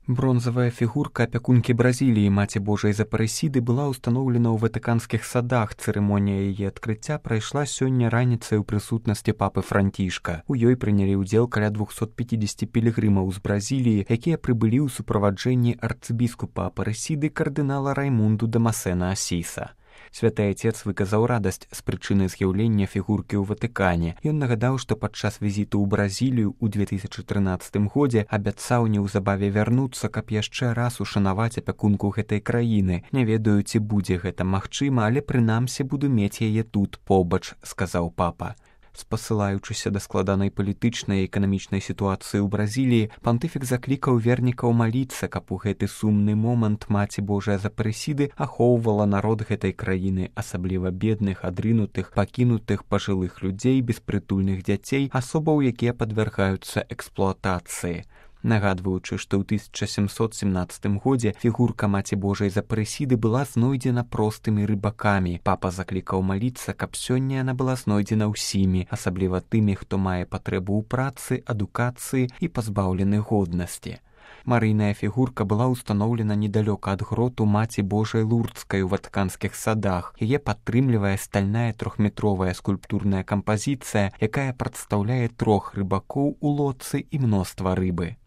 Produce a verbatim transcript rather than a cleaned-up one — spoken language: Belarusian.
Бронзавая фігурка апякункі Бразіліі Маці Божай з Апарэсіды была ўстаноўлена ў ватыканскіх садах. Цырымонія яе адкрыцця прайшла сёння раніцай у прысутнасці папы Францішка. У ёй прынялі ўдзел каля двухсот пяцідзесяці пілігрымаў з Бразіліі, якія прыбылі ў суправаджэнні арцыбіскупа Апарэсіды кардынала Раймунду Дамасена Асіса. Святы Отец выказаў радасць з прычыны з'яўлення фігуркі ў Ватыкане. Ён нагадаў, што падчас візіту ў Бразілію ў две тысячы трынаццатым годзе абяцаў неўзабаве вярнуцца, каб яшчэ раз ушанаваць апякунку гэтай краіны. Не ведаю, ці будзе гэта магчыма, але прынамсі буду мець яе тут побач, сказаў папа. Спасылаючыся да складанай палітычнай і эканамічнай сітуацыі ў Бразіліі, пантыфік заклікаў вернікаў маліцца, каб у гэты сумны момант Маці Божая з Апарэсіды ахоўвала народ гэтай краіны, асабліва бедных, адрынутых, пакінутых пажылых людзей, беспрытульных дзяцей, асобаў, якія падвяргаюцца эксплуатацыі. Нагадваючы, што ў тысяча сямсот семнаццатым годзе фігурка Маці Божай з Апарэсіды была знойдзена простымі рыбакамі. Папа заклікаў маліцца, каб сёння яна была знойдзена ўсімі, асабліва тымі, хто мае патрэбу ў працы, адукацыі і пазбаўлены годнасці. Марыйная фігурка была ўстаноўлена недалёка ад гроту Маці Божай Лурдскай у ватыканскіх садах. Яе падтрымлівае стальная трохметровая скульптурная кампазіцыя, якая прадстаўляе трох рыбакоў у лодцы і мноства рыбы.